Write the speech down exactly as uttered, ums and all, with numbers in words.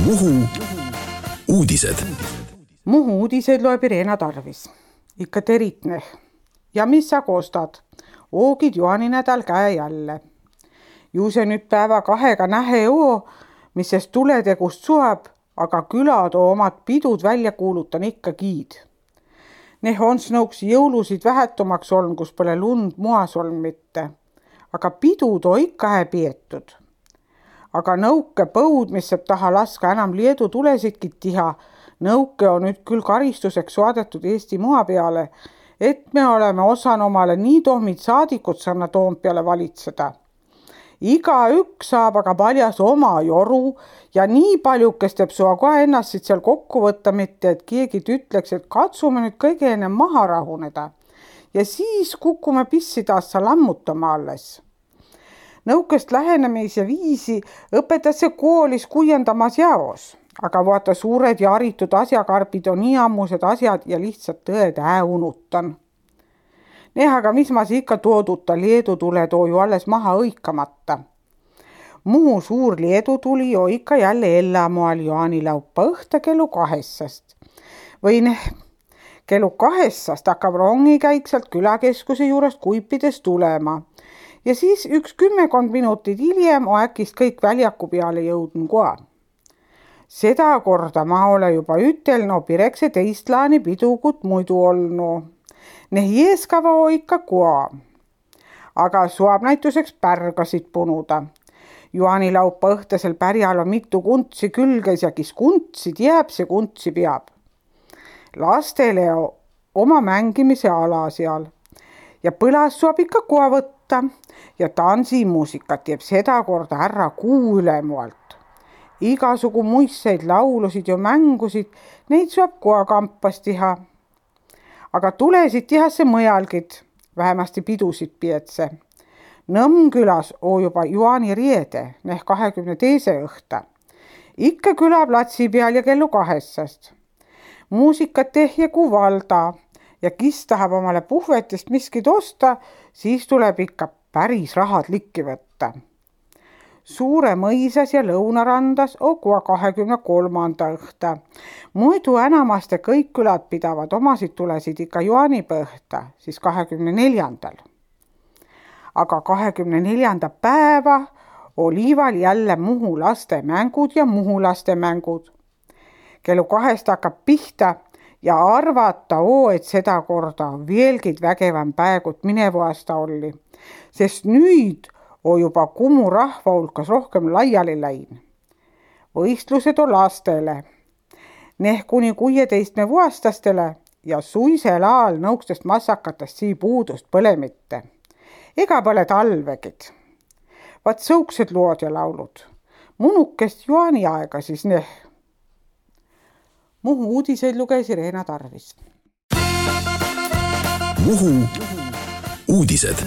Muhu uudised. Muhu uudised loeb Irena Tarvis. Ikka teritneh. Ja mis sa kostad? Oogid juaninädal käe jälle. Ju see nüüd päeva kahega nähe oo, mis sest tuletegust suab, aga külad oo omad pidud välja kuulutan ikka kiid. Neh on nõuks jõulusid vähetumaks oln, kus pole lund muas oln mitte. Aga pidud oo ikka hää pietud. Aga nõuke põud, mis saab taha laska enam Leedu tulesidki tiha, nõuke on nüüd küll karistuseks saadetud Eesti mua peale, et me oleme osan omale nii tohmid saadikud sanna Toompeale valitseda. Iga üks saab aga paljas oma joru ja nii paljukest teeb sua kohe ennast siit seal kokku võtta, mitte et keegi ütleks, et katsume nüüd kõige enne maha rahuneda ja siis kukume pissi taas lammutama alles. Nõukest lähenemise viisi õpetatakse koolis kuiendamas jaos, aga vaata suured ja haritud asjakarbid on nii ammused asjad ja lihtsalt tõed ää unutan. Neha, aga mis ma ikka tooduta Leedu tule too ju alles maha õikamata. Muhu suur Leedu tuli jo ikka jälle ellamoal jaanilaupa õhta kellu kahessast. Või neh, kellu kahessast hakkab rongikäik sealt külakeskuse juurest Kuipides tulema. Ja siis üks kümmekond minutit hiljem on äkist kõik väljaku peale jõudnud koha. Seda korda ma ole juba ütelno pirekse teistlaani pidukut muidu olnu. Neh jeeskava on ikka koha. Aga suab näituseks pärgasid punuda. Juanilaupa õhtasel pärjal on mitu kuntsi külges ja kis kuntsid jääb, see kuntsi peab. Lastele on oma mängimise ala seal. Ja põlas suab ikka koha võtta ja tansimuusikat teeb seda korda ära kuu ülemualt. Igasugu muisseid laulusid ja mängusid, neid suab koha kampas tiha. Aga tulesid tihasse mõjalgid, vähemasti pidusid pietse. Nõmmkülas on juba juani riede, neh kahekümne teise õhta. Ikka külaplatsi peal ja kellu kahessast. Muusikat tehje kui valda. Ja kis tahab omale puhvetist miskid osta, siis tuleb ikka päris rahad likki võtta. Suure mõisas ja lõunarandas on koha kahekümne kolmanda õhta. Muidu enamaste kõik külad pidavad omasid tulesid ikka juanipõhta, siis kahekümne neljandal. Aga kahekümne neljanda päeva oliival jälle Muhu laste mängud ja Muhu laste mängud. Kellu kahest hakkab pihta ja arvata oo, et seda korda veelgid vägevam päegut minevu aasta oli, sest nüüd on juba Kumu rahva hulkas rohkem laiali läin. Võistlused on lastele, neh kuni kuueteistme vuastastele ja suisel aal nõukstest massakatest sii puudust põle mitte. Ega pole talvegid. Vaat sõuksed lood ja laulud. Munukest juani aega siis neh. Muhu uudiseid luges Irena Tarvis. Muhu uudised.